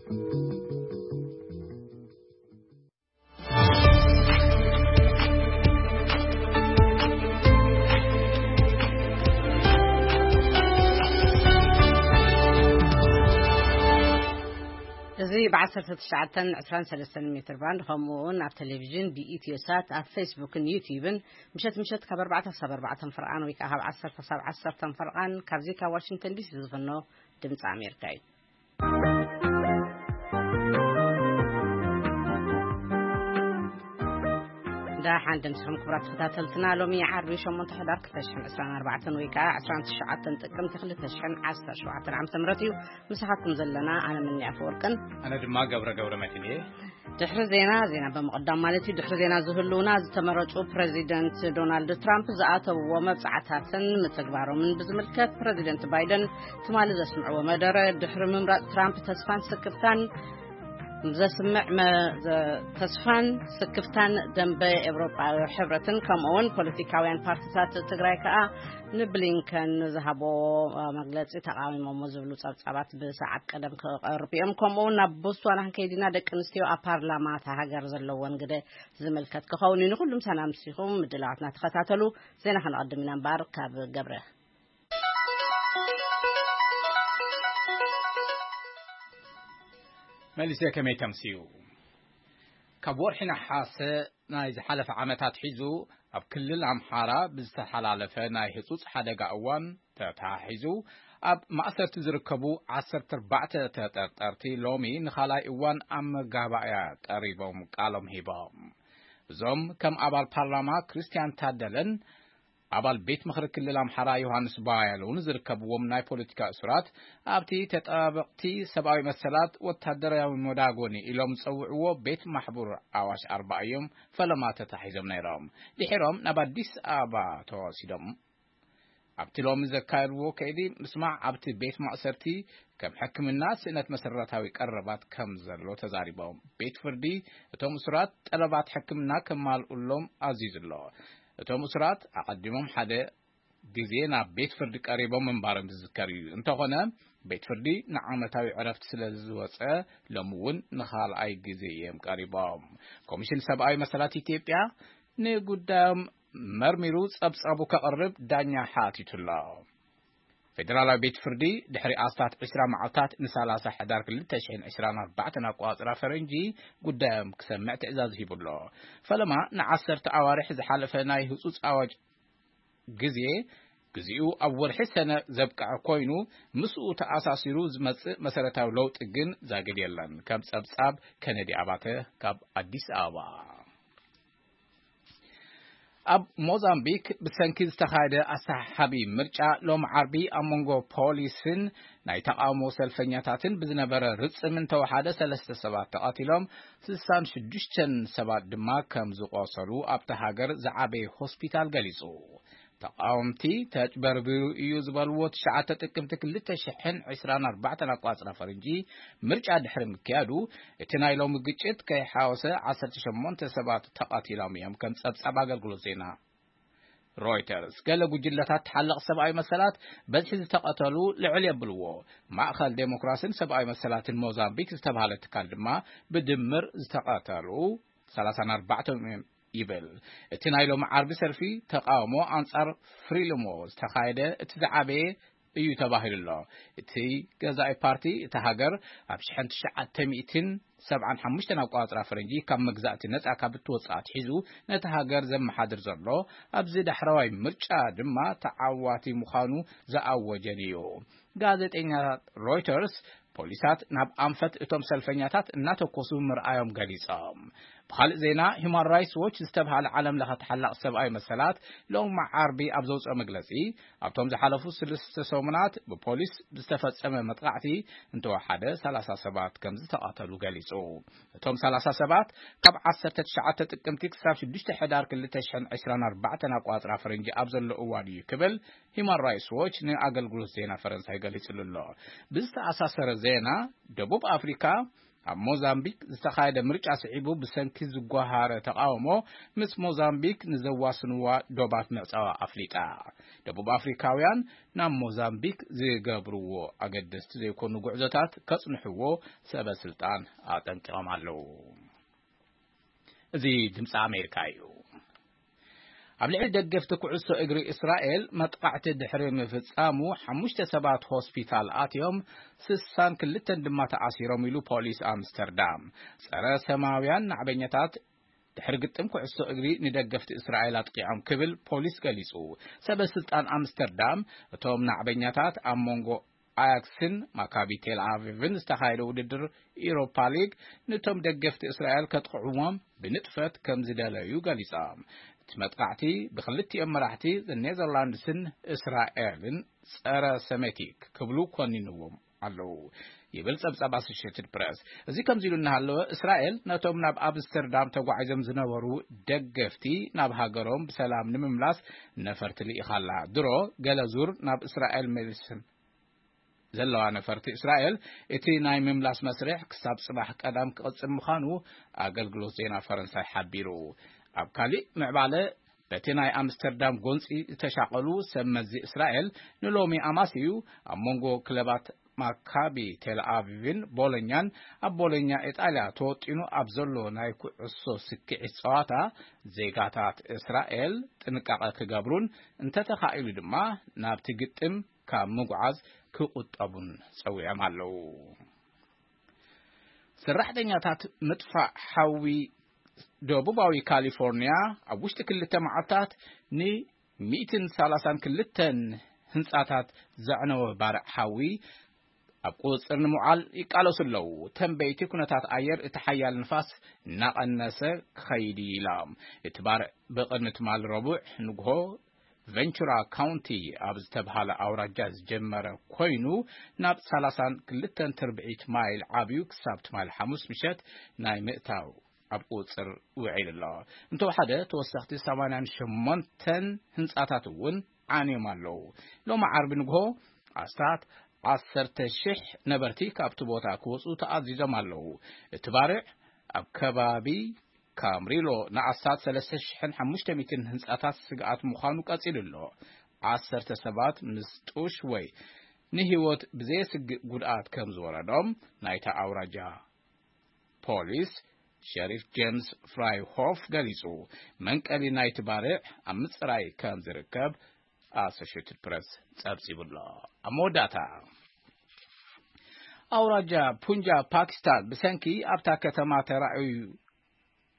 እዚ ብ19 23 ሜትር ባንድ፣ ከምኡ እውን ኣብ ቴሌቪዥን ብኢትዮ ሳት፣ ኣብ ፌስቡክን ዩቲዩብን፣ ምሸት ምሸት ካብ ኣርባዕተ ክሳብ ኣርባዕተ ፈርቓን ወይ ከዓ ካብ ዓሰርተ ክሳብ ዓሰርተ ፈርቓን፣ ካብዚ ካብ ዋሽንግተን ዲሲ ዝፍኖ ድምፂ ኣሜሪካ እዩ። ደሓን ደምስኹም ክቡራት ተኸታተልትና። ሎሚ ዓርቢ ሸሞንተ ሕዳር ክልተ ሽሕን ዕስራን ኣርባዕተን ወይ ከዓ ዕስራን ትሽዓተን ጥቅምቲ ክልተ ሽሕን ዓሰርተ ሸውዓተን ዓመተ ምህረት እዩ። ምሳኻትኩም ዘለና ኣነ ምኒ ኣፈወርቅን። ኣነ ድማ ገብረ ገብረ መድህን እየ። ድሕሪ ዜና፣ ዜና ብምቕዳም ማለት እዩ፣ ድሕሪ ዜና ዝህልውና ዝተመረጹ ፕረዚደንት ዶናልድ ትራምፕ ዝኣተውዎ መብጻዕታትን ምትግባሮምን ብዝምልከት ፕረዚደንት ባይደን ትማሊ ዘስምዕዎ መደረ፣ ድሕሪ ምምራጽ ትራምፕ ተስፋን ስክፍታን ዘስምዕ መ-፣ ዘ-፣ ተስፋን ስክፍታን ደንበ ኤውሮጳዊ ሕብረትን ከምኡ እውን ፖለቲካውያን ፓርቲታት ትግራይ ከኣ ንብሊንከን ዝሃቦ መግለጺ ተቃዊሞሞ ዝብሉ ጸብጻባት ብሰዓት ቀደም ክቐርብ እዮም። ከምኡ እውን ናብ ቦትስዋና ክንከይድ ኢና። ደቂ ኣንስትዮ ኣብ ፓርላማ እታ ሃገር ዘለወን ግደ ዝምልከት ክኸውን እዩ። ንኹሉም ሰላም ሲኹም ምድላዋትና ተኸታተሉ። ዜና ከነቐድም ኢና እምበኣር ካብ ገብረ። መሊሰ ከመይ ተምስዩ? ካብ ወርሒ ነሓሰ ናይ ዝሓለፈ ዓመታት ሒዙ ኣብ ክልል ኣምሓራ ብዝተሓላለፈ ናይ ህጹጽ ሓደጋ እዋን ተተሓሒዙ ኣብ ማእሰርቲ ዝርከቡ ዓሰርተ ኣርባዕተ ተጠርጠርቲ ሎሚ ንኻልኣይ እዋን ኣብ መጋባእያ ቀሪቦም ቃሎም ሂቦም። እዞም ከም ኣባል ፓርላማ ክርስቲያን ታደለን ኣባል ቤት ምኽሪ ክልል ኣምሓራ ዮሃንስ ባያለውን ዝርከብዎም ናይ ፖለቲካ እሱራት፣ ኣብቲ ተጣበቕቲ ሰብኣዊ መሰላት ወታደራዊ መዳጎኒ ኢሎም ዝጸውዕዎ ቤት ማሕቡር ኣዋሽ ኣርባ እዮም ፈለማ ተታሒዞም ነይሮም። ድሒሮም ናብ ኣዲስ ኣበባ ተወሲዶም። ኣብቲ ሎሚ ዘካየድዎ ከይዲ ምስማዕ፣ ኣብቲ ቤት ማእሰርቲ ከም ሕክምና፣ ስእነት መሰረታዊ ቀረባት ከም ዘሎ ተዛሪቦም። ቤት ፍርዲ እቶም እሱራት ጠለባት ሕክምና ከማልኡሎም ኣዚዙ ኣሎ። እቶም እሱራት ኣቐዲሞም ሓደ ግዜ ናብ ቤት ፍርዲ ቀሪቦም ምንባሮም ዝዝከር እዩ። እንተኾነ፣ ቤት ፍርዲ ንዓመታዊ ዕረፍቲ ስለ ዝወጸ፣ ሎሚ እውን ንኻልኣይ ግዜ እዮም ቀሪቦም። ኮሚሽን ሰብኣዊ መሰላት ኢትዮጵያ ንጉዳዮም መርሚሩ ጸብጻቡ ከቕርብ ዳኛ ሓቲቱ ኣሎ። ፌደራላዊ ቤት ፍርዲ ድሕሪ ኣስታት ዕስራ መዓልታት ንሳላሳ ሕዳር ክልተ ሽሕን ዕስራን ኣርባዕተን ኣቆጻጽራ ፈረንጂ ጉዳዮም ክሰምዕ ትዕዛዝ ሂቡ ኣሎ። ፈለማ ንዓሰርተ ኣዋርሕ ዝሓለፈ ናይ ህጹጽ ኣዋጅ ግዜ፣ ግዚኡ ኣብ ወርሒ ሰነ ዘብቅዐ ኮይኑ፣ ምስኡ ተኣሳሲሩ ዝመጽእ መሰረታዊ ለውጢ ግን ዛጊድ የለን። ከም ጸብጻብ ከነዲ ኣባተ ካብ ኣዲስ ኣበባ። ኣብ ሞዛምቢክ ብሰንኪ ዝተኻየደ ኣሰሓሓቢ ምርጫ ሎም ዓርቢ ኣብ መንጎ ፖሊስን ናይ ተቓውሞ ሰልፈኛታትን ብዝነበረ ርጽም እንተወሓደ ሰለስተ ሰባት ተቐቲሎም፣ ስሳን ሽዱሽተን ሰባት ድማ ከም ዝቖሰሉ ኣብቲ ሃገር ዝዓበየ ሆስፒታል ገሊጹ። ተቓወምቲ ተጭበርቢሩ እዩ ዝበልዎ ትሽዓተ ጥቅምቲ ክልተ ሽሕን ዕስራን ኣርባዕተን ኣቋጽራ ፈረንጂ ምርጫ ድሕሪ ምክያዱ፣ እቲ ናይ ሎሚ ግጭት ከይሓወሰ ዓሰርተ ሸሞንተ ሰባት ተቐቲሎም እዮም ከም ጸብጻብ ኣገልግሎት ዜና ሮይተርስ። ገለ ጉጅለታት ተሓለቕ ሰብኣዊ መሰላት በዝሒ ዝተቐተሉ ልዕል የብልዎ። ማእኸል ዴሞክራስን ሰብኣዊ መሰላትን ሞዛምቢክ ዝተባህለ ትካል ድማ ብድምር ዝተቐተሉ ሰላሳን ኣርባዕተን እዮም ይብል። እቲ ናይ ሎም ዓርቢ ሰልፊ ተቓውሞ ኣንጻር ፍሪልሞ ዝተኻየደ እቲ ዝዓበየ እዩ ተባሂሉ ኣሎ። እቲ ገዛኢ ፓርቲ እታ ሃገር ኣብ ሽሕን ትሽዓተ ሚእትን ሰብዓን ሓሙሽተን ኣቋጽራ ፈረንጂ ካብ መግዛእቲ ነጻ ካብ እትወጽእ ኣትሒዙ ነቲ ሃገር ዘመሓድር ዘሎ፣ ኣብዚ ዳሕረዋይ ምርጫ ድማ ተዓዋቲ ምዃኑ ዝኣወጀን እዩ። ጋዜጠኛ ሮይተርስ ፖሊሳት ናብ ኣንፈት እቶም ሰልፈኛታት እናተኮሱ ምርኣዮም ገሊጾም። ብኻልእ ዜና፣ ሂማን ራይትስ ዎች ዝተብሃለ ዓለም ለኸ ተሓላቕ ሰብኣዊ መሰላት ሎም ዓርቢ ኣብ ዘውፅኦ መግለጺ፣ ኣብቶም ዝሓለፉ ሰለስተ ሰሙናት ብፖሊስ ብዝተፈጸመ መጥቃዕቲ እንተወሓደ ሰላሳ ሰባት ከም ዝተቐተሉ ገሊጹ። እቶም ሰላሳ ሰባት ካብ ዓሰርተ ትሽዓተ ጥቅምቲ ክሳብ ሽዱሽተ ሕዳር ክልተ ሽሕን ዕስራን ኣርባዕተን ኣቋጽራ ፈረንጂ ኣብ ዘሎ እዋን እዩ ክብል ሂማን ራይትስ ዎች ንኣገልግሎት ዜና ፈረንሳይ ገሊጹሉ ኣሎ። ብዝተኣሳሰረ ዜና፣ ደቡብ ኣፍሪካ ኣብ ሞዛምቢክ ዝተኻየደ ምርጫ ስዒቡ ብሰንኪ ዝጓሃረ ተቓውሞ ምስ ሞዛምቢክ ንዘዋስንዋ ዶባት ምዕጻዋ ኣፍሊጣ። ደቡብ ኣፍሪካውያን ናብ ሞዛምቢክ ዝገብርዎ ኣገደስቲ ዘይኮኑ ጉዕዞታት ከጽንሕዎ ሰበ ስልጣን ኣጠንቂቖም ኣለዉ። እዚ ድምፂ ኣሜሪካ እዩ። ኣብ ልዕሊ ደገፍቲ ኩዕሶ እግሪ እስራኤል መጥቓዕቲ ድሕሪ ምፍጻሙ ሓሙሽተ ሰባት ሆስፒታል ኣትዮም፣ ስሳን ክልተን ድማ ተኣሲሮም ኢሉ ፖሊስ ኣምስተርዳም። ጸረ ሰማውያን ናዕበኛታት ድሕሪ ግጥም ኩዕሶ እግሪ ንደገፍቲ እስራኤል ኣጥቂዖም ክብል ፖሊስ ገሊጹ። ሰበ ስልጣን ኣምስተርዳም እቶም ናዕበኛታት ኣብ መንጎ ኣያክስን ማካቢ ቴል ኣቪቭን ዝተኻየደ ውድድር ኢሮፓ ሊግ ንቶም ደገፍቲ እስራኤል ከጥቕዕዎም ብንጥፈት ከም ዝደለዩ ገሊጾም። እቲ መጥቃዕቲ ብክልቲኦም መራሕቲ ኔዘርላንድስን እስራኤልን ጸረ ሰሜቲክ ክብሉ ኮኒንዎም ኣለዉ ይብል ጸብጻብ ኣሶሽትድ ፕረስ። እዚ ከምዚ ኢሉ እናሃለወ፣ እስራኤል ነቶም ናብ ኣምስተርዳም ተጓዒዞም ዝነበሩ ደገፍቲ ናብ ሃገሮም ብሰላም ንምምላስ ነፈርቲ ልኢኻላ። ድሮ ገለ ዙር ናብ እስራኤል መሊስን ዘለዋ ነፈርቲ እስራኤል፣ እቲ ናይ ምምላስ መስርሕ ክሳብ ጽባሕ ቀዳም ክቕጽል ምዃኑ ኣገልግሎት ዜና ፈረንሳይ ሓቢሩ። ኣብ ካሊእ ምዕባለ፣ በቲ ናይ ኣምስተርዳም ጎንጺ ዝተሻቐሉ ሰብ መዚ እስራኤል ንሎሚ ኣማስዩ ኣብ መንጎ ክለባት ማካቢ ቴል ኣቪቭን ቦሎኛን፣ ኣብ ቦሎኛ ኢጣልያ ተወጢኑ ኣብ ዘሎ ናይ ኩዕሶ ስክዒት ጸዋታ፣ ዜጋታት እስራኤል ጥንቃቐ ክገብሩን እንተተኻኢሉ ድማ ናብቲ ግጥም ካብ ምጉዓዝ ክቑጠቡን ጸዊዖም ኣለዉ። ሰራሕተኛታት ምጥፋእ ሓዊ ደቡባዊ ካሊፎርኒያ ኣብ ውሽጢ ክልተ መዓልታት ን ሚእትን ሰላሳን ክልተን ህንጻታት ዘዕነወ ባርዕ ሓዊ ኣብ ቁጽጽር ንምውዓል ይቃለሱ ኣለዉ። ተንበይቲ ኩነታት ኣየር እቲ ሓያል ንፋስ እናቐነሰ ክኸይድ እዩ ኢሎም። እቲ ባርዕ ብቕድሚ ትማሊ ረቡዕ ንግሆ ቨንቹራ ካውንቲ ኣብ ዝተብሃለ ኣውራጃ ዝጀመረ ኮይኑ፣ ናብ ሰላሳን ክልተን ትርብዒት ማይል ዓብዩ ክሳብ ትማሊ ሓሙስ ምሸት ናይ ምእታው ኣብ ቁጽር ውዒሉ ኣሎ። እንተወሓደ ተወሰኽቲ ሰማንያን ሸሞንተን ህንጻታት እውን ዓንዮም ኣለዉ። ሎሚ ዓርቢ ንግሆ ኣስታት ዓሰርተ ሽሕ ነበርቲ ካብቲ ቦታ ክወጹ ተኣዚዞም ኣለዉ። እቲ ባርዕ ኣብ ከባቢ ካምሪሎ ንኣስታት ሰለስተ ሽሕን ሓሙሽተ ሚእትን ህንጻታት ስግኣት ምዃኑ ቀጺሉ ኣሎ። ዓሰርተ ሰባት ምስ ጡሽ ወይ ንህይወት ብዘየስግእ ጉድኣት ከም ዝወረዶም ናይታ ኣውራጃ ፖሊስ ሸሪፍ ጄምስ ፍራይሆፍ ገሊጹ። መንቀሊ ናይቲ ባርዕ ኣብ ምጽራይ ከም ዝርከብ ኣሶሽትድ ፕረስ ጸብጺቡ ኣሎ። ኣብ መወዳእታ፣ ኣውራጃ ፑንጃብ ፓኪስታን ብሰንኪ ኣብታ ከተማ ተራእዩ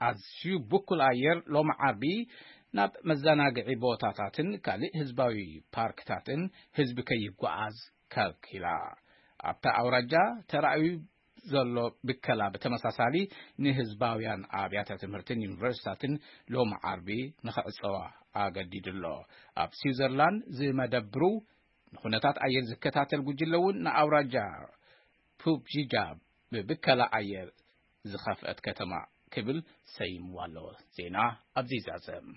ኣዝዩ ብኩል ኣየር ሎሚ ዓርቢ ናብ መዘናግዒ ቦታታትን ካልእ ህዝባዊ ፓርክታትን ህዝቢ ከይጓዓዝ ከልኪላ። ኣብታ ኣውራጃ ተራእዩ ዘሎ ብከላ ብተመሳሳሊ ንህዝባውያን ኣብያተ ትምህርትን ዩኒቨርሲታትን ሎሚ ዓርቢ ንኽዕጸዋ ኣገዲዱ ኣሎ። ኣብ ስዊዘርላንድ ዝመደብሩ ንኹነታት ኣየር ዝከታተል ጉጅለ እውን ንኣውራጃ ፑብጂጃ ብብከላ ኣየር ዝኸፍአት ከተማ ክብል ሰይምዋ ኣሎ። ዜና ኣብዚ ይዛዘም።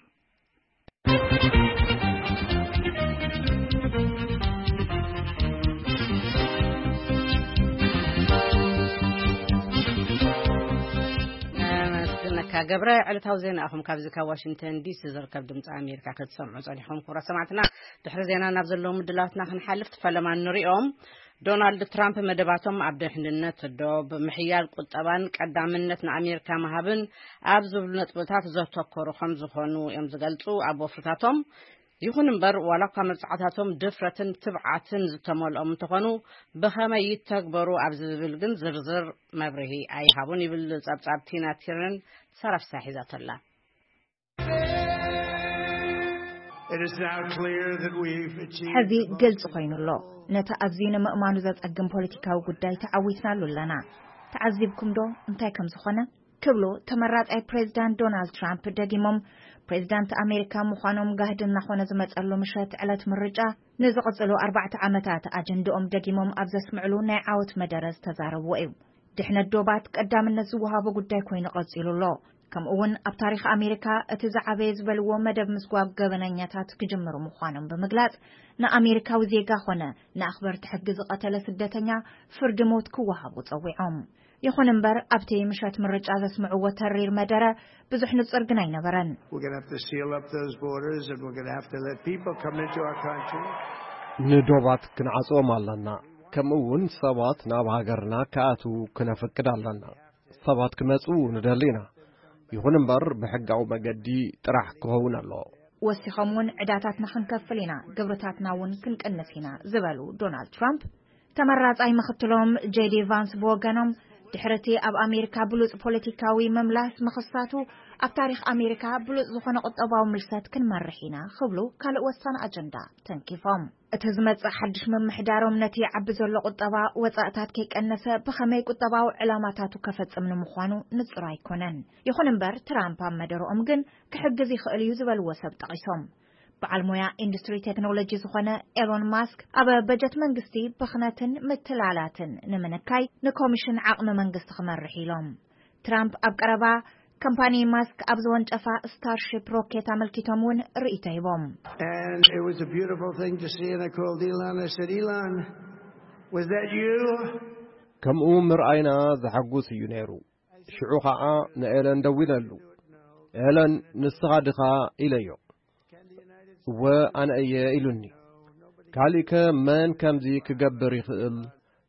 ኣመስግነካ ገብረ። ዕለታዊ ዜና ኣኹም ካብዚ ካብ ዋሽንግተን ዲሲ ዝርከብ ድምፂ ኣሜሪካ ክትሰምዑ ጸኒሕኩም። ክቡራት ሰማዕትና፣ ድሕሪ ዜና ናብ ዘለዉ ምድላትና ክንሓልፍ፣ ፈለማ ንሪኦም። ዶናልድ ትራምፕ መደባቶም ኣብ ድሕንነት ዶብ፣ ምሕያል ቁጠባን ቀዳምነት ንኣሜሪካ ምሃብን ኣብ ዝብሉ ነጥብታት ዘተኮሩ ከም ዝኾኑ እዮም ዝገልጹ ኣብ ወፍርታቶም። ይኹን እምበር፣ ዋላ እኳ መብጽዓታቶም ድፍረትን ትብዓትን ዝተመልኦም እንተኾኑ፣ ብኸመይ ይተግበሩ ኣብዚ ዝብል ግን ዝርዝር መብርሂ ኣይሃቡን ይብል ጸብጻብ ቲና ቲርነን ሰራፍሳ ሒዛቶ ኣላ። It is now clear that we've achieved ሕዚ the most ግልጽ ኮይኑ ኣሎ። ነቲ ኣዝዩ ንምእማኑ ዘጸግም ፖለቲካዊ ጉዳይ ተዓዊትናሉ ኣለና። ተዓዚብኩም ዶ እንታይ ከም ዝኾነ? ክብሉ ተመራጻይ ፕሬዝዳንት ዶናልድ ትራምፕ ደጊሞም። ፕሬዝዳንት ኣሜሪካ ምዃኖም ጋህዲ እናኾነ ዝመጸሉ ምሸት ዕለት ምርጫ፣ ንዝቕጽሉ ኣርባዕተ ዓመታት ኣጀንድኦም ደጊሞም ኣብ ዘስምዕሉ ናይ ዓወት መደረ ዝተዛረብዎ እዩ። ድሕነት ዶባት ቀዳምነት ዝወሃቦ ጉዳይ ኮይኑ ቀጺሉ ኣሎ። ከምኡ እውን ኣብ ታሪኽ ኣሜሪካ እቲ ዝዓበየ ዝበልዎ መደብ ምስጓግ ገበነኛታት ክጅምሩ ምዃኖም ብምግላጽ፣ ንኣሜሪካዊ ዜጋ ኾነ ንኣኽበርቲ ሕጊ ዝቐተለ ስደተኛ ፍርዲ ሞት ክወሃቡ ጸዊዖም። ይኹን እምበር፣ ኣብቲ ምሸት ምርጫ ዘስምዕዎ ተሪር መደረ ብዙሕ ንጹር ግን ኣይነበረን። We're going to have to seal up those borders, and we're going to have to let people come into our country. ንዶባት ክንዓጽዎም ኣለና። ከምኡ እውን ሰባት ናብ ሃገርና ክኣትዉ ክነፍቅድ ኣለና። ሰባት ክመጹ ንደሊ ኢና። ይኹን እምበር፣ ብሕጋዊ መገዲ ጥራሕ ክኸውን ኣለዎ። ወሲኾም እውን፣ ዕዳታትና ክንከፍል ኢና፣ ግብርታትና እውን ክንቅንስ ኢና ዝበሉ ዶናልድ ትራምፕ፣ ተመራጻይ ምኽትሎም ጄዲ ቫንስ ብወገኖም፣ ድሕሪ እቲ ኣብ ኣሜሪካ ብሉጽ ፖለቲካዊ ምምላስ ምኽሳቱ፣ ኣብ ታሪኽ ኣሜሪካ ብሉጽ ዝኾነ ቁጠባዊ ምልሰት ክንመርሕ ኢና ክብሉ ካልእ ወሳኒ ኣጀንዳ ተንኪፎም። እቲ ዝመጽእ ሓድሽ ምምሕዳሮም ነቲ ይዓቢ ዘሎ ቁጠባ ወጻእታት ከይቀነሰ ብኸመይ ቁጠባዊ ዕላማታቱ ከፈጽም ንምዃኑ ንጹር ኣይኮነን። ይኹን እምበር፣ ትራምፕ ኣብ መደረኦም ግን ክሕግዝ ይኽእል እዩ ዝበልዎ ሰብ ጠቒሶም። በዓል ሞያ ኢንዱስትሪ ቴክኖሎጂ ዝኾነ ኤሎን ማስክ፣ ኣብ በጀት መንግስቲ ብኽነትን ምትላላትን ንምንካይ ንኮሚሽን ዓቕሚ መንግስቲ ክመርሕ ኢሎም። ትራምፕ ኣብ ቀረባ ከምፓኒ ማስክ ኣብ ዝወንጨፋ ስታርሺፕ ሮኬት ኣመልኪቶም እውን ርእይቶ ሂቦም። And it was a beautiful thing to see, and I called Elon. I said, "Elon, was that you?" ከምኡ ምርኣይና ዘሐጉስ እዩ ነይሩ። ሽዑ ኸዓ ንኤለን ደዊለሉ። "ኤለን፣ ንስኻ ድኻ?" ኢለዮ። "እወ፣ ኣነ እየ" ኢሉኒ። "ካሊእከ መን ከምዚ ክገብር ይኽእል?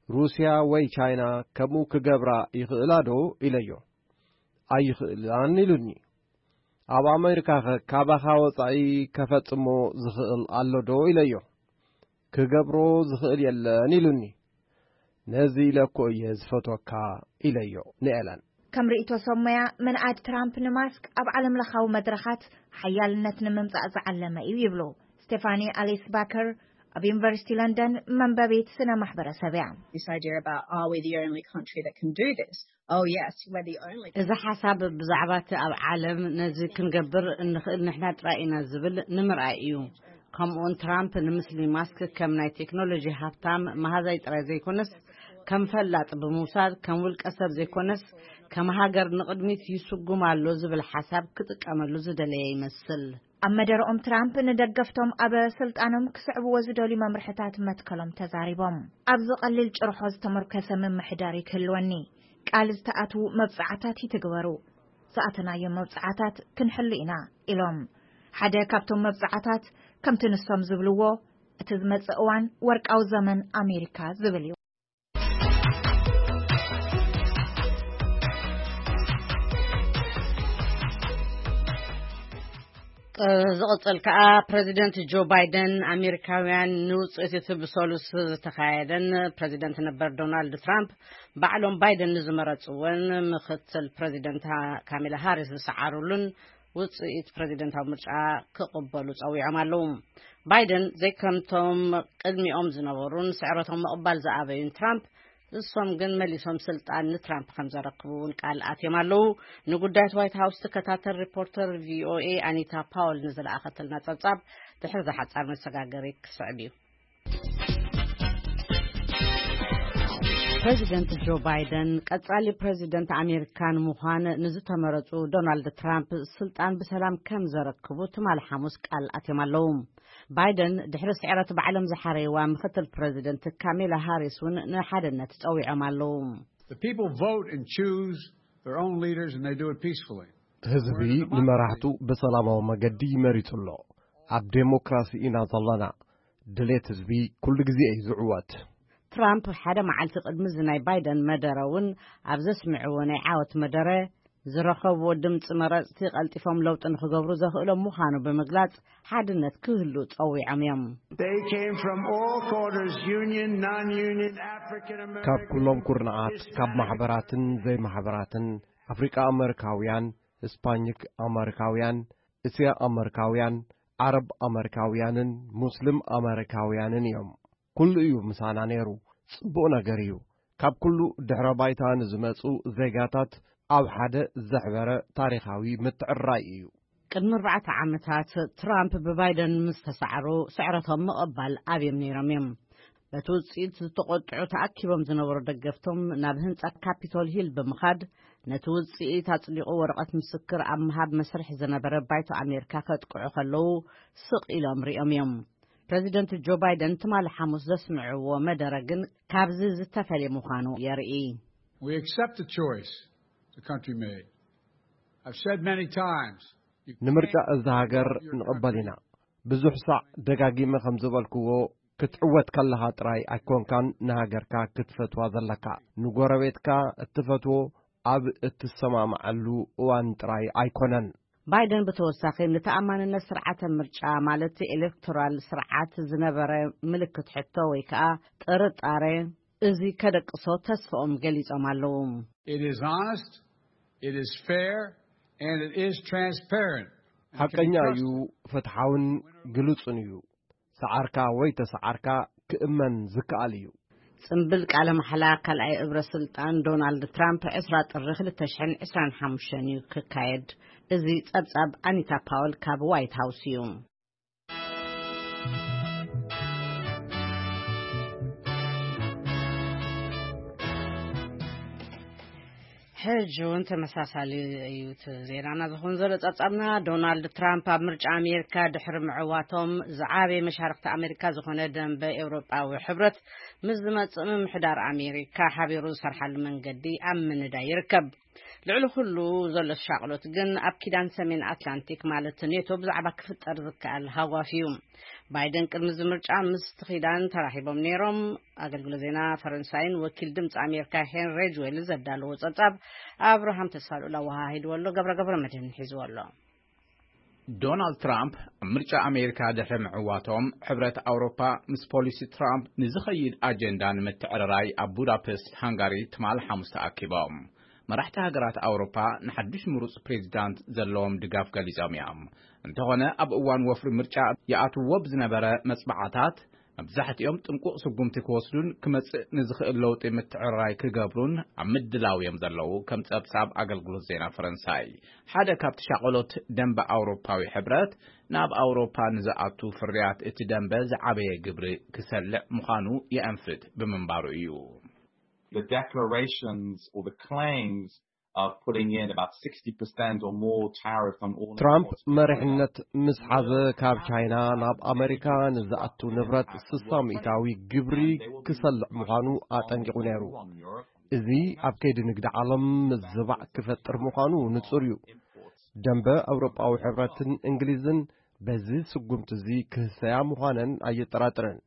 ሩስያ ወይ ቻይና ከምኡ ክገብራ ይኽእላ ዶ?" ኢለዮ። "ኣይኽእላን" ኢሉኒ። "ኣብ ኣሜሪካኸ ካባኻ ወጻኢ ከፈጽሞ ዝኽእል ኣሎ ዶ?" ኢለዮ። "ክገብሮ ዝኽእል የለን" ኢሉኒ። "ነዚ ኢለ እኮ እየ ዝፈትወካ" ኢለዮ ንኤለን። ከም ርእይቶ ሰብ ሞያ፣ ምንኣድ ትራምፕ ንማስክ ኣብ ዓለምለኻዊ መድረኻት ሓያልነት ንምምጻእ ዝዓለመ እዩ ይብሉ ስቴፋኒ ኣሊስ ባከር፣ ኣብ ዩኒቨርሲቲ ለንደን መንበቢት ስነ ማሕበረሰብ እያ። This idea about, are we the only country that can do this? Oh yes, we're the only. እዚ ሓሳብ ብዛዕባ እቲ ኣብ ዓለም ነዚ ክንገብር እንኽእል ንሕና ጥራይ ኢና ዝብል ንምርኣይ እዩ። ከምኡውን ትራምፕ ንምስሊ ማስክ ከም ናይ ቴክኖሎጂ ሃብታም መሃዛይ ጥራይ ዘይኮነስ፣ ከም ፈላጥ ብምውሳድ፣ ከም ውልቀ ሰብ ዘይኮነስ፣ ከም ሃገር ንቕድሚት ይስጉም ኣሎ ዝብል ሓሳብ ክጥቀመሉ ዝደለየ ይመስል። ኣብ መደረኦም ትራምፕ ንደገፍቶም ኣብ ስልጣኖም ክስዕብዎ ዝደልዩ መምርሕታት መትከሎም ተዛሪቦም። "ኣብዚ ቀሊል ጭርሖ ዝተመርኮሰ ምምሕዳር ክህልወኒ፣ ቃል ዝተኣትዉ መብጽዓታት ይትግበሩ፣ ዝኣተናዮም መብጽዓታት ክንሕሉ ኢና" ኢሎም። ሓደ ካብቶም መብጽዓታት፣ ከምቲ ንሶም ዝብልዎ፣ እቲ ዝመጽእ እዋን ወርቃዊ ዘመን ኣሜሪካ ዝብል እዩ። ዝቕጽል ከኣ፣ ፕረዚደንት ጆ ባይደን፣ ኣሜሪካውያን ንውጽኢት እቲ ብሰሉስ ዝተኻየደን ፕረዚደንት ነበር ዶናልድ ትራምፕ ባዕሎም ባይደን ንዝመረጽወን ምኽትል ፕረዚደንት ካሜላ ሃሪስ ዝሰዓሩሉን ውጽኢት ፕረዚደንታዊ ምርጫ ክቕበሉ ጸዊዖም ኣለዉ። ባይደን ዘይከምቶም ቅድሚኦም ዝነበሩን ስዕረቶም ምቕባል ዝኣበዩን ትራምፕ፣ እሶም ግን መሊሶም ስልጣን ንትራምፕ ከም ዘረክቡ እውን ቃል ኣትዮም ኣለዉ። ንጉዳያት ዋይት ሃውስ ትከታተል ሪፖርተር ቪኦኤ ኣኒታ ፓውል ንዝለኣኸተልና ጸብጻብ ድሕሪ ዝሓጻር መሰጋገሪ ክስዕብ እዩ። ፕረዚደንት ጆ ባይደን ቀጻሊ ፕረዚደንት ኣሜሪካ ንምዃን ንዝተመረጹ ዶናልድ ትራምፕ ስልጣን ብሰላም ከም ዘረክቡ ትማሊ ሓሙስ ቃል ኣትዮም ኣለዉ። ባይደን ድሕሪ ስዕረት ባዕሎም ዝሓረይዋ ምኽትል ፕረዚደንት ካሜላ ሃሪስ እውን ንሓድነት ጸዊዖም ኣለዉ። The people vote and choose their own leaders, and they do it peacefully. ህዝቢ ንመራሕቱ ብሰላማዊ መገዲ ይመሪጹ ኣሎ። ኣብ ዴሞክራሲ ኢና ዘለና። ድሌት ህዝቢ ኩሉ ግዜ እዩ ዝዕወት። ትራምፕ ሓደ መዓልቲ ቅድሚ እዚ ናይ ባይደን መደረ እውን ኣብ ዘስምዕዎ ናይ ዓወት መደረ፣ ዝረኸብዎ ድምፂ መረፅቲ ቀልጢፎም ለውጢ ንክገብሩ ዘኽእሎም ምዃኑ ብምግላፅ፣ ሓድነት ክህሉ ፀዊዖም እዮም። They came from all quarters, union, non-union, African American, ካብ ኩሎም ኩርናዓት፣ ካብ ማሕበራትን ዘይማሕበራትን፣ ኣፍሪቃ ኣመሪካውያን፣ ህስፓኒክ ኣመሪካውያን፣ እስያ ኣመሪካውያን፣ ዓረብ ኣመሪካውያንን ሙስሊም ኣመሪካውያንን እዮም። ኩሉ እዩ ምሳና ነይሩ። ጽቡቕ ነገር እዩ። ካብ ኩሉ ድሕረ ባይታ ንዝመጹ ዜጋታት ኣብ ሓደ ዘሕበረ ታሪኻዊ ምትዕርራይ እዩ። ቅድሚ ኣርባዕተ ዓመታት፣ ትራምፕ ብባይደን ምስ ተሳዕሩ፣ ስዕረቶም ምቕባል ኣብዮም ነይሮም እዮም። በቲ ውጽኢት ዝተቖጥዑ ተኣኪቦም ዝነበሩ ደገፍቶም ናብ ህንጻ ካፒቶል ሂል ብምኻድ፣ ነቲ ውጽኢት ኣጽዲቑ ወረቐት ምስክር ኣብ ምሃብ መስርሕ ዝነበረ ባይቶ ኣሜሪካ ከጥቅዑ ከለዉ፣ ስቕ ኢሎም ሪኦም እዮም። ፕረዚደንት ጆ ባይደን ትማሊ ሓሙስ ዘስምዕዎ መደረ ግን ካብዚ ዝተፈልየ ምዃኑ የርኢ። We accept the choice the country made. I've said many times, you ንምርጫ can't እዛ ሃገር develop your ንቕበል ኢና። country ብዙሕ ሳዕ ደጋጊመ ከም ዝበልክዎ፣ ክትዕወት ከለኻ ጥራይ ኣይኮንካን ንሃገርካ ክትፈትዋ ዘለካ። ንጎረቤትካ እትፈትዎ ኣብ እትሰማምዓሉ እዋን ጥራይ ኣይኮነን። ባይደን ብተወሳኺ ንተኣማንነት ስርዓተ ምርጫ ማለት ኤሌክቶራል ስርዓት ዝነበረ ምልክት ሕቶ ወይ ከዓ ጥርጣሬ እዚ ከደቅሶ ተስፋኦም ገሊጾም ኣለዉ። It is honest, it is fair, and it is transparent. ሓቀኛ እዩ፣ ፍትሓውን ግሉጽን እዩ። ሰዓርካ ወይ ተሰዓርካ ክእመን ዝከኣል እዩ። ጽምብል ቃለ ማሕላ ካልኣይ እብረ ስልጣን ዶናልድ ትራምፕ ዕስራ ጥሪ ክልተ ሽሕን ዕስራን ሓሙሽተን እዩ ክካየድ። እዚ ጸብጻብ ኣኒታ ፓወል ካብ ዋይት ሃውስ እዩ። ሕጂ እውን ተመሳሳሊ እዩ እቲ ዜናና ዝኸውን ዘሎ ጸብጻብና። ዶናልድ ትራምፕ ኣብ ምርጫ ኣሜሪካ ድሕሪ ምዕዋቶም ዝዓበየ መሻርክቲ ኣሜሪካ ዝኾነ ደንበ ኤውሮጳዊ ሕብረት ምስ ዝመጽእ ምምሕዳር ኣሜሪካ ሓቢሩ ዝሰርሓሉ መንገዲ ኣብ ምንዳይ ይርከብ። ልዕሊ ኩሉ ዘሎ ሻቕሎት ግን ኣብ ኪዳን ሰሜን ኣትላንቲክ ማለት ኔቶ ብዛዕባ ክፍጠር ዝከኣል ሃዋፍ እዩ። ባይደን ቅድሚ እዚ ምርጫ ምስቲ ኪዳን ተራኺቦም ነይሮም። ኣገልግሎት ዜና ፈረንሳይን ወኪል ድምፂ ኣሜሪካ ሄንሪ ሬጅዌል ዘዳለዎ ጸብጻብ ኣብርሃም ተስፋልኡል ኣወሃሂድዎ ኣሎ። ገብረ ገብረ መድህን ሒዝዎ ኣሎ። ዶናልድ ትራምፕ ኣብ ምርጫ ኣሜሪካ ድሕሪ ምዕዋቶም ሕብረት ኣውሮፓ ምስ ፖሊሲ ትራምፕ ንዝኸይድ ኣጀንዳ ንምትዕርራይ ኣብ ቡዳፔስት ሃንጋሪ ትማል ሓሙስ ተኣኪቦም። መራሕቲ ሃገራት ኣውሮፓ ንሓድሽ ምሩፅ ፕሬዚዳንት ዘለዎም ድጋፍ ገሊጾም እዮም። እንተኾነ ኣብ እዋን ወፍሪ ምርጫ ይኣትዎ ብዝነበረ መጽባዕታት መብዛሕትኦም ጥንቁቕ ስጉምቲ ክወስዱን ክመጽእ ንዝኽእል ለውጢ ምትዕርራይ ክገብሩን ኣብ ምድላው እዮም ዘለዉ ከም ጸብጻብ ኣገልግሎት ዜና ፈረንሳይ። ሓደ ካብቲ ሻቐሎት ደንበ ኣውሮፓዊ ሕብረት ናብ ኣውሮፓ ንዝኣቱ ፍርያት እቲ ደንበ ዝዓበየ ግብሪ ክሰልዕ ምዃኑ የእንፍት ብምንባሩ እዩ። The declarations or the claims of putting in about sixty percent or more tariff on all ትራምፕ imports from መሪሕነት ምስ ሓዘ ካብ ቻይና ናብ ኣሜሪካ ንዝኣቱ ንብረት ስሳ ሚእታዊ ግብሪ ክሰልዕ ምዃኑ ኣጠንቂቑ ነይሩ። እዚ ኣብ ከይዲ ንግዲ ዓለም ምዝባዕ ክፈጥር ምዃኑ ንጹር እዩ። ደንበ ኣውሮጳዊ ሕብረትን እንግሊዝን በዚ ስጉምቲ እዚ ክህሰያ ምዃነን ኣየጠራጥርን።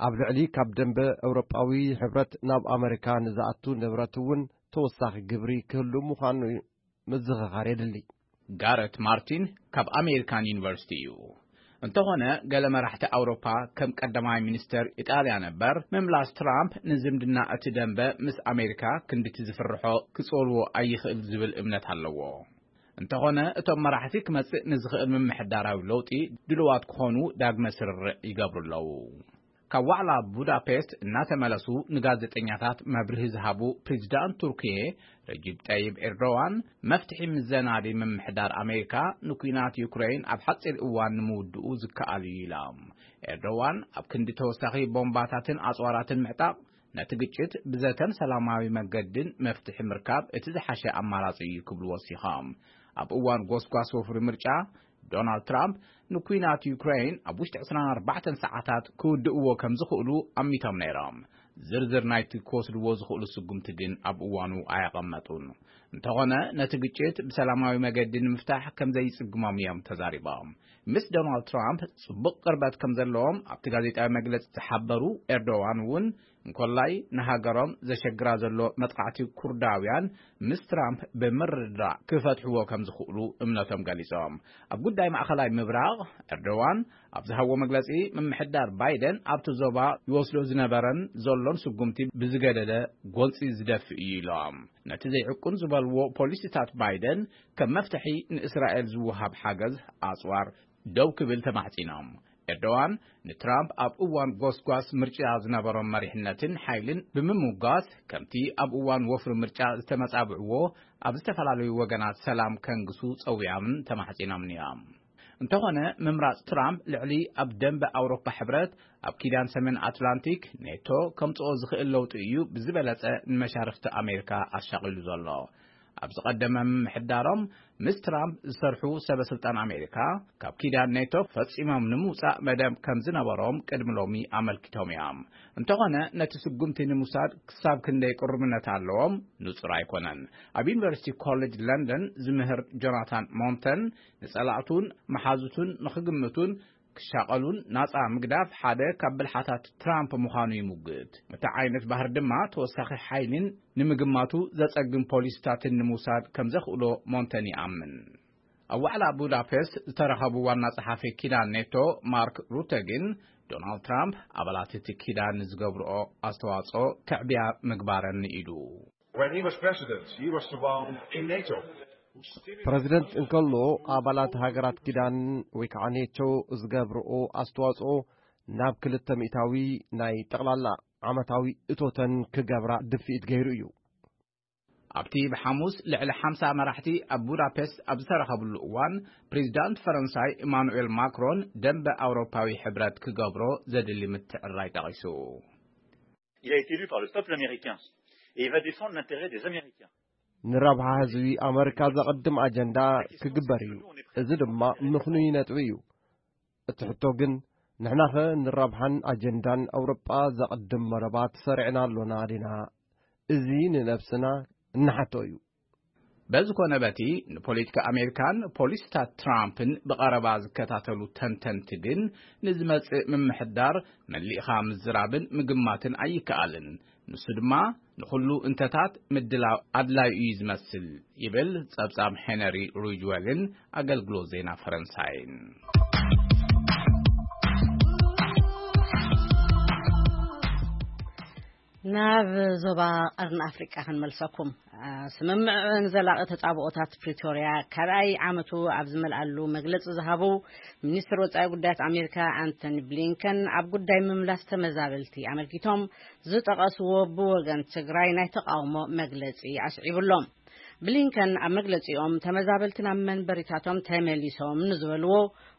ኣብ ልዕሊ ካብ ደንበ ኣውሮጳዊ ሕብረት ናብ ኣመሪካ ንዝኣቱ ንብረት እውን ተወሳኺ ግብሪ ክህሉ ምዃኑ ምዝኽኻር የድሊ። ጋረት ማርቲን ካብ ኣሜሪካን ዩኒቨርሲቲ እዩ። እንተኾነ ገለ መራሕቲ ኣውሮፓ ከም ቀዳማይ ሚኒስተር ኢጣልያ ነበር ምምላስ ትራምፕ ንዝምድና እቲ ደንበ ምስ ኣሜሪካ ክንድቲ ዝፍርሖ ክጸልዎ ኣይኽእል ዝብል እምነት ኣለዎ። እንተኾነ እቶም መራሕቲ ክመጽእ ንዝኽእል ምምሕዳራዊ ለውጢ ድልዋት ክኾኑ ዳግመ ስርርዕ ይገብሩ ኣለዉ። ካብ ዋዕላ ቡዳፔስት እናተመለሱ ንጋዜጠኛታት መብርሂ ዝሃቡ ፕሬዚዳንት ቱርኪየ ረጂብ ጠይብ ኤርዶዋን መፍትሒ ምዘናዲ ምምሕዳር ኣሜሪካ ንኲናት ዩክሬን ኣብ ሓፂር እዋን ንምውድኡ ዝከኣል እዩ ኢሎም። ኤርዶዋን ኣብ ክንዲ ተወሳኺ ቦምባታትን ኣፅዋራትን ምዕጣቕ ነቲ ግጭት ብዘተን ሰላማዊ መገድን መፍትሒ ምርካብ እቲ ዝሓሸ ኣማራፂ እዩ ክብሉ ወሲኾም። ኣብ እዋን ጎስጓስ ወፍሪ ምርጫ ዶናልድ ትራምፕ ንኲናት ዩክሬን ኣብ ውሽጢ ዕስራን ኣርባዕተን ሰዓታት ክውድእዎ ከም ዝኽእሉ ኣሚቶም ነይሮም። ዝርዝር ናይቲ ክወስድዎ ዝኽእሉ ስጉምቲ ግን ኣብ እዋኑ ኣየቐመጡን። እንተኾነ ነቲ ግጭት ብሰላማዊ መገዲ ንምፍታሕ ከም ዘይጽግሞም እዮም ተዛሪቦም። ምስ ዶናልድ ትራምፕ ጽቡቕ ቅርበት ከም ዘለዎም ኣብቲ ጋዜጣዊ መግለጺ ዝሓበሩ ኤርዶዋን እውን እንኮላይ ንሃገሮም ዘሸግራ ዘሎ መጥቃዕቲ ኩርዳውያን ምስ ትራምፕ ብምርድዳእ ክፈትሕዎ ከም ዝኽእሉ እምነቶም ገሊጾም። ኣብ ጉዳይ ማእኸላይ ምብራቕ ኤርዶዋን ኣብ ዝሃብዎ መግለጺ ምምሕዳር ባይደን ኣብቲ ዞባ ይወስዶ ዝነበረን ዘሎን ስጉምቲ ብዝገደደ ጎንጺ ዝደፍእ እዩ ኢሎም። ነቲ ዘይዕቁን ዝበልዎ ፖሊሲታት ባይደን ከም መፍትሒ ንእስራኤል ዝወሃብ ሓገዝ ኣጽዋር ደው ክብል ተማሕጺኖም። ኤርዶዋን ንትራምፕ ኣብ እዋን ጎስጓስ ምርጫ ዝነበሮም መሪሕነትን ሓይልን ብምምጓስ ከምቲ ኣብ እዋን ወፍሪ ምርጫ ዝተመጻብዕዎ ኣብ ዝተፈላለዩ ወገናት ሰላም ከንግሱ ጸዊዖምን ተማሕጺኖምን እዮም። እንተኾነ ምምራጽ ትራምፕ ልዕሊ ኣብ ደንበ ኣውሮፓ ሕብረት ኣብ ኪዳን ሰሜን ኣትላንቲክ ኔቶ ከምጽኦ ዝኽእል ለውጢ እዩ ብዝበለጸ ንመሻርኽቲ ኣሜሪካ ኣሻቒሉ ዘሎ። ኣብ ዝቐደመ ምምሕዳሮም ምስ ትራምፕ ዝሰርሑ ሰበ ስልጣን ኣሜሪካ ካብ ኪዳን ኔቶ ፈጺሞም ንምውጻእ መደብ ከም ዝነበሮም ቅድሚ ሎሚ ኣመልኪቶም እዮም። እንተኾነ ነቲ ስጉምቲ ንምውሳድ ክሳብ ክንደይ ቅሩብነት ኣለዎም ንጹር ኣይኮነን። ኣብ ዩኒቨርሲቲ ኮሌጅ ለንደን ዝምህር ጆናታን ሞንተን ንጸላእቱን መሓዙቱን ንኽግምቱን ክሻቐሉን ናጻ ምግዳፍ ሓደ ካብ ብልሓታት ትራምፕ ምዃኑ ይሙግት። እቲ ዓይነት ባህር ድማ ተወሳኺ ሓይሊን ንምግማቱ ዘጸግም ፖሊሲታትን ንምውሳድ ከም ዘኽእሎ ሞንተን ይኣምን። ኣብ ዋዕላ ቡዳፔስት ዝተረኸቡ ዋና ጸሓፊ ኪዳን ኔቶ ማርክ ሩተ ግን ዶናልድ ትራምፕ ኣባላት እቲ ኪዳን ንዝገብርኦ ኣስተዋጽኦ ክዕብያ ምግባረን ንኢዱ። When he was president, he was the one in NATO. ፕረዚደንት እንከሎ ኣባላት ሃገራት ኪዳን ወይ ከዓ ኔቶ ዝገብርኦ ኣስተዋጽኦ ናብ ክልተ ሚእታዊ ናይ ጠቕላላ ዓመታዊ እቶተን ክገብራ ድፍኢት ገይሩ እዩ። ኣብቲ ብሓሙስ ልዕሊ ሓምሳ መራሕቲ ኣብ ቡዳፔስት ኣብ ዝተረኸብሉ እዋን ፕሬዚዳንት ፈረንሳይ ኢማኑኤል ማክሮን ደንበ ኣውሮፓዊ ሕብረት ክገብሮ ዘድሊ ምትዕራይ ጠቒሱ። Il a été élu par le peuple américain et il va défendre l'intérêt des Américains. ንረብሓ ህዝቢ ኣመሪካ ዘቐድም ኣጀንዳ ክግበር እዩ። እዚ ድማ ምኽኑይ ነጥቢ እዩ። እቲ ሕቶ ግን ንሕናኸ ንረብሓን ኣጀንዳን ኣውሮጳ ዘቐድም መረባት ሰሪዕና ኣሎና ዲና? እዚ ንነብስና እንሓቶ እዩ። በዚ ኮነ በቲ ንፖለቲካ ኣሜሪካን ፖሊሲታት ትራምፕን ብቐረባ ዝከታተሉ ተንተንቲ ግን ንዝመጽእ ምምሕዳር መሊእኻ ምዝራብን ምግማትን ኣይከኣልን። ንሱ ድማ ንኹሉ እንተታት ምድላው ኣድላዩ እዩ ዝመስል ይብል ጸብጻብ ሄነሪ ሪጅዌልን ኣገልግሎት ዜና ፈረንሳይን። ናብ ዞባ ቀርኒ ኣፍሪቃ ክንመልሰኩም። ስምምዕ ንዘላቒ ተጻብኦታት ፕሪቶርያ ካልኣይ ዓመቱ ኣብ ዝመልኣሉ መግለጺ ዝሃቡ ሚኒስትር ወጻኢ ጉዳያት ኣሜሪካ ኣንቶኒ ብሊንከን ኣብ ጉዳይ ምምላስ ተመዛበልቲ ኣመልኪቶም ዝጠቐስዎ ብወገን ትግራይ ናይ ተቓውሞ መግለጺ ኣስዒቡሎም። ብሊንከን ኣብ መግለጺኦም ተመዛበልቲ ናብ መንበሪታቶም ተመሊሶም ንዝበልዎ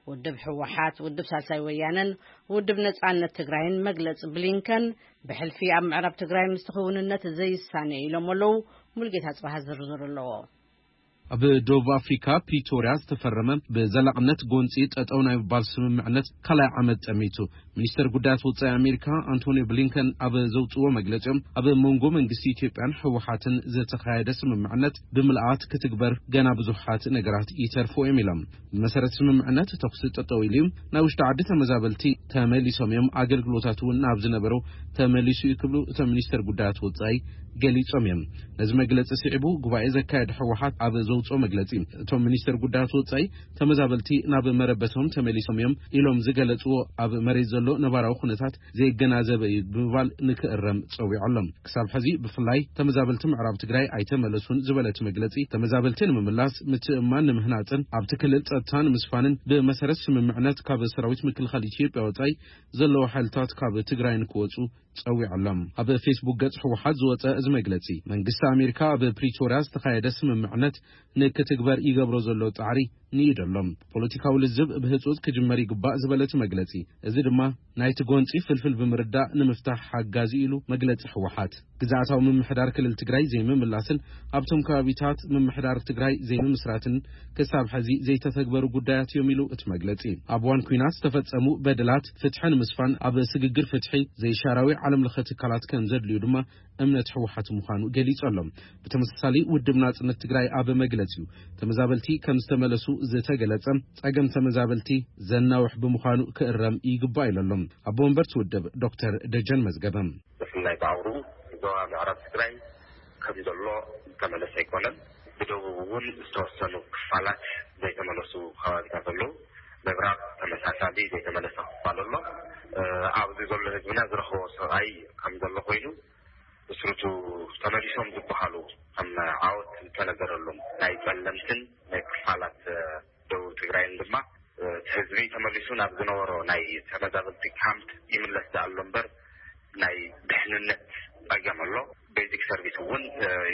ውድብ ህወሓት፣ ውድብ ሳልሳይ ወያነን ውድብ ነጻነት ትግራይን መግለጺ ብሊንከን ብሕልፊ ኣብ ምዕራብ ትግራይ ምስቲ ክውንነት ዘይሳነ ኢሎም ኣለዉ። ሙልጌታ ጽባሃ ዝርዝር ኣለዎ። ኣብ ደቡብ ኣፍሪካ ፕሪቶርያ ዝተፈረመ ብዘላቕነት ጎንፂ ጠጠው ናይ ምባል ስምምዕነት ካልኣይ ዓመት ጠሚቱ። ሚኒስተር ጉዳያት ወፃኢ ኣሜሪካ ኣንቶኒ ብሊንከን ኣብ ዘውፅዎ መግለፂኦም ኣብ መንጎ መንግስቲ ኢትዮጵያን ህወሓትን ዝተኻየደ ስምምዕነት ብምልኣት ክትግበር ገና ብዙሓት ነገራት ይተርፎ እዮም ኢሎም። ብመሰረት ስምምዕነት ተኩሲ ጠጠው ኢሉ እዩ፣ ናይ ውሽጢ ዓዲ ተመዛበልቲ ተመሊሶም እዮም፣ ኣገልግሎታት እውን ናብ ዝነበረው ተመሊሱ እዩ ክብሉ እቶም ሚኒስተር ጉዳያት ወፃኢ ገሊጾም እዮም። ነዚ መግለጺ ስዒቡ ጉባኤ ዘካየደ ህወሓት ኣብ ዘውፅኦ መግለጺ እቶም ሚኒስተር ጉዳያት ወፃኢ ተመዛበልቲ ናብ መረበቶም ተመሊሶም እዮም ኢሎም ዝገለፅዎ ኣብ መሬት ዘሎ ነባራዊ ኩነታት ዘየገናዘበ እዩ ብምባል ንክእረም ፀዊዖ ኣሎ። ክሳብ ሕዚ ብፍላይ ተመዛበልቲ ምዕራብ ትግራይ ኣይተመለሱን ዝበለ እቲ መግለፂ ተመዛበልቲ ንምምላስ ምትእምማን ንምህናፅን ኣብቲ ክልል ፀጥታ ንምስፋንን ብመሰረት ስምምዕነት ካብ ሰራዊት ምክልኻል ኢትዮጵያ ወፃኢ ዘለዉ ሓይልታት ካብ ትግራይ ንክወፁ ፀዊዖ ኣሎ። ኣብ ፌስቡክ ገፅ ህወሓት ዝወፀ እዚ መግለፂ መንግስቲ ኣሜሪካ ኣብ ፕሪቶርያ ዝተኻየደ ስምምዕነት ንክትግበር ይገብሮ ዘሎ ፃዕሪ ንኢዱ ኣሎ። ፖለቲካዊ ልዝብ ብህፁፅ ክጅመር ይግባእ ዝበለ እቲ መግለፂ እዚ ድማ ናይቲ ጎንፂ ፍልፍል ብምርዳእ ንምፍታሕ ሓጋዚ ኢሉ መግለፂ ህወሓት። ግዝኣታዊ ምምሕዳር ክልል ትግራይ ዘይምምላስን ኣብቶም ከባቢታት ምምሕዳር ትግራይ ዘይምምስራትን ክሳብ ሕዚ ዘይተተግበሩ ጉዳያት እዮም ኢሉ እቲ መግለፂ። ኣብ እዋን ኲናት ዝተፈፀሙ በደላት ፍትሒ ንምስፋን ኣብ ስግግር ፍትሒ ዘይሻራዊ ዓለም ለኸ ትካላት ከም ዘድልዩ ድማ እምነት ህወሓት ምዃኑ ገሊፁ ኣሎ። ብተመሳሳሊ ውድብ ናፅነት ትግራይ ኣብ መግለፂኡ ተመዛበልቲ ከም ዝተመለሱ ዝተገለፀ ፀገም ተመዛበልቲ ዘናውሕ ብምዃኑ ክእረም ይግባእ ኢሉ ኣሎ። ኣቦ ወንበር እቲ ውድብ ዶክተር ደጀን መዝገበ። ብፍላይ ብኣውሩ ዞባ ምዕራብ ትግራይ ከም ዘሎ ዝተመለሰ ኣይኮነን። ብደቡብ እውን ዝተወሰኑ ክፋላት ዘይተመለሱ ከባቢታት ኣለዉ። ምብራቕ ተመሳሳሊ ዘይተመለሰ ክፋል ኣሎ። ኣብዚ ዘሎ ህዝብና ዝረኸቦ ሰብኣይ ከም ዘሎ ኮይኑ ብስሩቱ ተመሊሶም ዝበሃሉ ከም ዓወት ዝተነገረሎም ናይ ጸለምትን ናይ ክፋላት ደቡብ ትግራይን ድማ እቲ ህዝቢ ተመሊሱ ናብ ዝነበሮ ናይ ተመዛበልቲ ካምፕ ይምለስ ደኣ ኣሎ እምበር ናይ ድሕንነት ጸገም ኣሎ። ቤዚክ ሰርቪስ እውን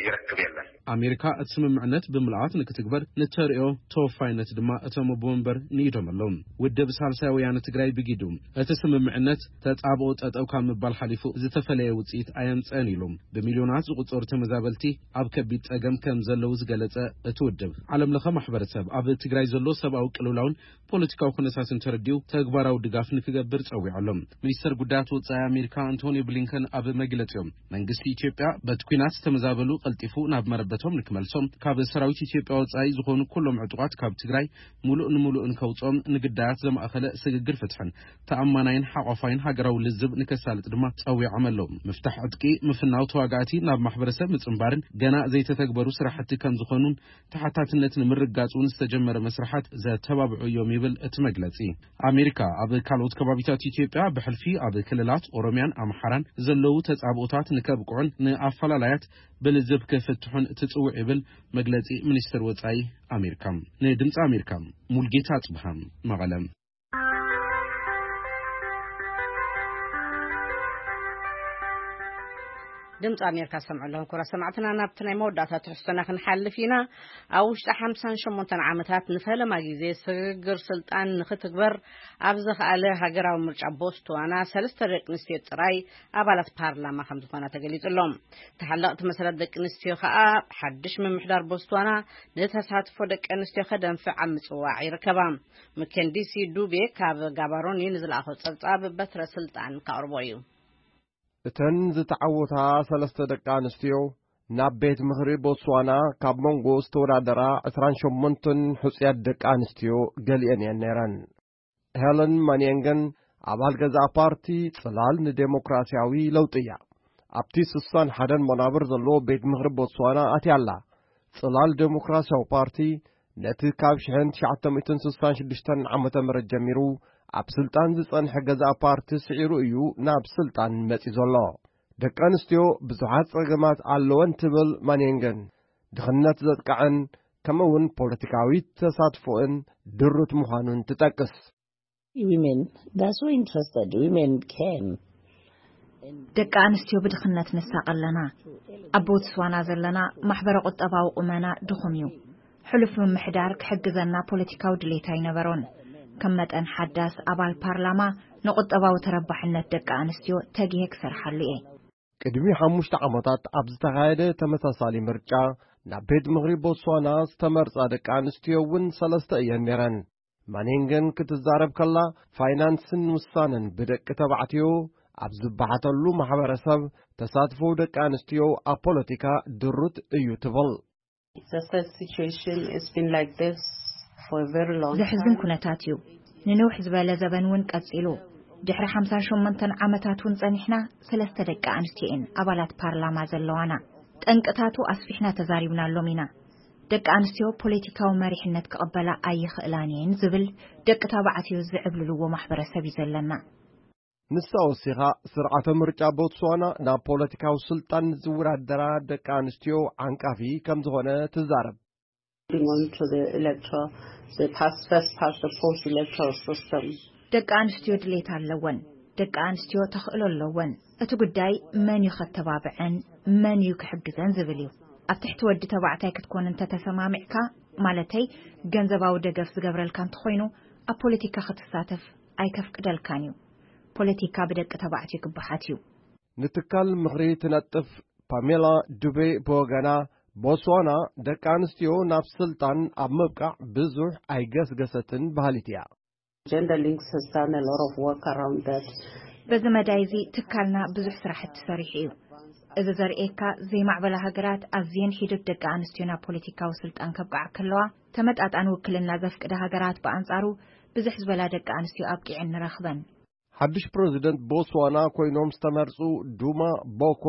ይረክብ የለን። ኣሜሪካ እቲ ስምምዕነት ብምልኣት ንክትግበር ንተርእዮ ተወፋይነት ድማ እቶም ኣቦ መንበር ንኢዶም ኣለዉ። ውድብ ሳልሳይ ወያነ ትግራይ ብጊዱ እቲ ስምምዕነት ተጻብኦ ጠጠው ካብ ምባል ሓሊፉ ዝተፈለየ ውጽኢት ኣየምጸን ኢሉ። ብሚልዮናት ዝቁጸሩ ተመዛበልቲ ኣብ ከቢድ ጸገም ከም ዘለዉ ዝገለጸ እቲ ውድብ፣ ዓለም ለኸ ማሕበረሰብ ኣብ ትግራይ ዘሎ ሰብኣዊ ቅልውላውን ፖለቲካዊ ኩነታትን ተረዲኡ ተግባራዊ ድጋፍ ንክገብር ጸዊዑ ኣሎ። ሚኒስተር ጉዳያት ወጻኢ ኣሜሪካ ኣንቶኒ ብሊንከን ኣብ መግለጺኦም፣ መንግስቲ ኢትዮጵያ በቲ ኲናት ዝተመዛበሉ ቀልጢፉ ናብ መረበቶም ንክመልሶም፣ ካብ ሰራዊት ኢትዮጵያ ወጻኢ ዝኾኑ ኩሎም ዕጡቓት ካብ ትግራይ ሙሉእ ንሙሉእ ንከውጽኦም፣ ንግዳያት ዘማእኸለ ስግግር ፍትሕን ተኣማናይን ሓቋፋይን ሃገራዊ ልዝብ ንከሳልጥ ድማ ጸዊዖም ኣለዉ። ምፍታሕ ዕጥቂ፣ ምፍናው ተዋጋእቲ፣ ናብ ማሕበረሰብ ምጽንባርን ገና ዘይተተግበሩ ስራሕቲ ከም ዝኾኑን ተሓታትነት ንምርጋጽ እውን ዝተጀመረ መስርሓት ዘተባብዑ እዮም ይብል እቲ መግለጺ። ኣሜሪካ ኣብ ካልኦት ከባቢታት ኢትዮጵያ ብሕልፊ ኣብ ክልላት ኦሮሚያን ኣምሓራን ዘለዉ ተጻብኦታት ንከብቅዑን ንኣፈላላያት ብልዝብ ክፍትሑን ትጽውዕ ይብል መግለጺ ሚኒስትር ወጻኢ ኣሜሪካ። ንድምጺ ኣሜሪካ ሙልጌታ ኣጽብሃ፣ መቐለ። ድምፂ ኣሜሪካ ዝሰምዑ ኣለኹም ክቡራት ሰማዕትና። ናብቲ ናይ መወዳእታ ትሕዝቶና ክንሓልፍ ኢና። ኣብ ውሽጢ ሓምሳን ሸሞንተን ዓመታት ንፈለማ ግዜ ስግግር ስልጣን ንክትግበር ኣብ ዘኽኣለ ሃገራዊ ምርጫ ቦትስዋና ሰለስተ ደቂ ኣንስትዮ ጥራይ ኣባላት ፓርላማ ከም ዝኾና ተገሊጹ ኣሎ። ተሓለቕቲ መሰላት ደቂ ኣንስትዮ ከኣ ሓድሽ ምምሕዳር ቦትስዋና ንተሳትፎ ደቂ ኣንስትዮ ከደንፍዕ ኣብ ምጽዋዕ ይርከባ። መከንዲሲ ዱቤ ካብ ጋባሮኒ ንዝለኣኾ ጸብጻብ በትረ ስልጣን ከቕርቦ እዩ። እተን ዝተዓወታ ሰለስተ ደቂ ኣንስትዮ ናብ ቤት ምኽሪ ቦትስዋና ካብ መንጎ ዝተወዳደራ ዕስራን ሸሞንተን ሕጹያት ደቂ ኣንስትዮ ገሊአን እየን ነይረን። ሄለን ማንየንገን ኣባል ገዛእ ፓርቲ ጽላል ንዴሞክራሲያዊ ለውጢ እያ። ኣብቲ ስሳን ሓደን መናብር ዘለዎ ቤት ምኽሪ ቦትስዋና ኣትያ ኣላ። ጽላል ዴሞክራሲያዊ ፓርቲ ነቲ ካብ ሽሕን ትሽዓተ ሚእትን ስሳን ሽዱሽተን ዓመተ ምህረት ጀሚሩ ኣብ ስልጣን ዝጸንሐ ገዛእ ፓርቲ ስዒሩ እዩ ናብ ስልጣን መጺኡ ዘሎ። ደቂ ኣንስትዮ ብዙሓት ጸገማት ኣለወን ትብል ማንየንገን፣ ድኽነት ዘጥቅዐን ከምኡ እውን ፖለቲካዊ ተሳትፎእን ድሩት ምዃኑን ትጠቅስ። Women, they're so interested. Women can. ደቂ ኣንስትዮ ብድኽነት ንሳቐ ኣለና። ኣብ ቦትስዋና ዘለና ማሕበረ ቁጠባዊ ቁመና ድኹም እዩ። ሕሉፍ ምምሕዳር ክሕግዘና ፖለቲካዊ ድሌት ኣይነበሮን። ከም መጠን ሓዳስ ኣባል ፓርላማ ንቁጠባዊ ተረባሕነት ደቂ ኣንስትዮ ተጊሄ ክሰርሓሉ እየ። ቅድሚ ሓሙሽተ ዓመታት ኣብ ዝተኻየደ ተመሳሳሊ ምርጫ ናብ ቤት ምኽሪ ቦትስዋና ዝተመርጻ ደቂ ኣንስትዮ እውን ሰለስተ እየን ነይረን። ማኔንገን ክትዛረብ ከላ፣ ፋይናንስን ውሳነን ብደቂ ተባዕትዮ ኣብ ዝበሓተሉ ማሕበረሰብ ተሳትፎ ደቂ ኣንስትዮ ኣብ ፖለቲካ ድሩት እዩ ትብል። The sad situation has been like this for a very long ዘሕዝን time. ኩነታት እዩ። ንንውሕ ዝበለ ዘበን እውን ቀጺሉ። ድሕሪ ሓምሳን ሸሞንተን ዓመታት እውን ጸኒሕና፣ ሰለስተ ደቂ ኣንስትዮ እየን ኣባላት ፓርላማ ዘለዋና። ጠንቅታቱ ኣስፊሕና ተዛሪብናሎም ኢና። ደቂ ኣንስትዮ ፖለቲካዊ መሪሕነት ክቐበላ ኣይኽእላን እየን ዝብል ደቂ ተባዕትዮ ዝዕብልልዎ ማሕበረሰብ እዩ ዘለና። ንሳ ወሲኻ፣ ስርዓተ ምርጫ ቦትስዋና ናብ ፖለቲካዊ ስልጣን ዝወዳደራ ደቂ ኣንስትዮ ዓንቃፊ ከም ዝኾነ ትዛረብ። Moving on to the electoral, the past, first past the post electoral system. ደቂ ኣንስትዮ ድሌት ኣለወን። ደቂ ኣንስትዮ ተኽእሎ ኣለወን። እቲ ጉዳይ መን እዩ ከተባብዐን፣ መን እዩ ክሕግዘን ዝብል እዩ። ኣብ ትሕቲ ወዲ ተባዕታይ ክትኮን እንተተሰማሚዕካ፣ ማለተይ ገንዘባዊ ደገፍ ዝገብረልካ እንተኾይኑ፣ ኣብ ፖለቲካ ክትሳተፍ ኣይከፍቅደልካን እዩ። ፖለቲካ ብደቂ ተባዕትዮ ክበሓት እዩ። ንትካል ምኽሪ ትነጥፍ ፓሜላ ዱቤ ብወገና፣ ቦትስዋና ደቂ ኣንስትዮ ናብ ስልጣን ኣብ ምብቃዕ ብዙሕ ኣይገስገሰትን በሃሊት እያ። Gender Links has done a lot of work around that. በዚ መዳይ እዚ ትካልና ብዙሕ ስራሕቲ ሰሪሑ እዩ። እዚ ዘርእየካ፣ ዘይማዕበላ ሃገራት ኣዝየን ሒደት ደቂ ኣንስትዮ ናብ ፖለቲካዊ ስልጣን ከብቅዓ ከለዋ፣ ተመጣጣኒ ውክልና ዘፍቅዳ ሃገራት ብኣንጻሩ ብዙሕ ዝበላ ደቂ ኣንስትዮ ኣብቂዐን ንረኽበን። ሓድሽ ፕረዚደንት ቦትስዋና ኮይኖም ዝተመርጹ ዱማ ቦኮ፣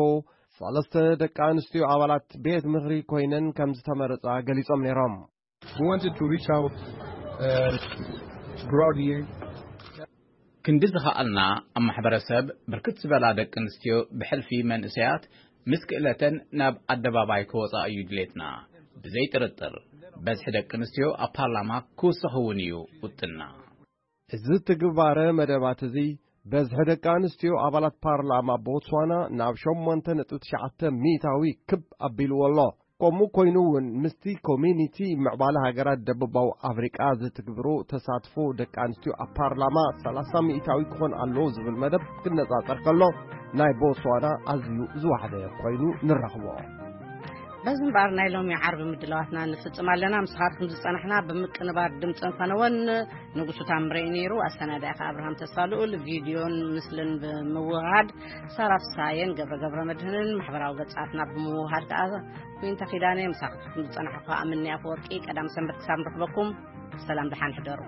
ሰለስተ ደቂ ኣንስትዮ ኣባላት ቤት ምኽሪ ኮይነን ከም ዝተመረጻ ገሊጾም ነይሮም። We wanted to reach out uh, broadly. ክንዲ ዝኸኣልና ኣብ ማሕበረሰብ ብርክት ዝበላ ደቂ ኣንስትዮ ብሕልፊ መንእሰያት ምስ ክእለተን ናብ ኣደባባይ ክወፃ እዩ ድሌትና። ብዘይ ጥርጥር በዝሒ ደቂ ኣንስትዮ ኣብ ፓርላማ ክውስኽ እውን እዩ ውጥንና። እዚ ትግባረ መደባት እዚ በዝሒ ደቂ ኣንስትዮ ኣባላት ፓርላማ ቦትስዋና ናብ ሸሞንተ ነጥቢ ትሽዓተ ሚእታዊ ክብ ኣቢልዎ ኣሎ። ከምኡ ኮይኑ እውን ምስቲ ኮሚኒቲ ምዕባለ ሃገራት ደቡባዊ ኣፍሪቃ ዝትግብሮ ተሳትፎ ደቂ ኣንስትዮ ኣብ ፓርላማ ሰላሳ ሚእታዊ ክኾን ኣለዎ ዝብል መደብ ክነጻጸር ከሎ ናይ ቦትስዋና ኣዝዩ ዝወሓደ ኮይኑ ንረኽቦ። በዚ እምበኣር ናይ ሎሚ ዓርቢ ምድላዋትና ንፍጽም ኣለና። ምሳኻትኩም ዝጸናሕና ብምቅንባር ድምፅን ፈነወን ንጉሱ ታምረይ ነይሩ። ኣሰናዳኢ ከኣ ኣብርሃም ተስፋ ልኡል፣ ቪድዮን ምስልን ብምውሃድ ሳራ ፍሳየን ገብረ ገብረ መድህንን፣ ማሕበራዊ ገጻትና ብምውሃድ ከኣ ኩንተ ኪዳነ። ምሳኻትኩም ዝጸናሕኩ ከኣ ምኒ ኣፈወርቂ። ቀዳም ሰንበት ክሳብ ንረኽበኩም ሰላም ደሓን ሕደሩ።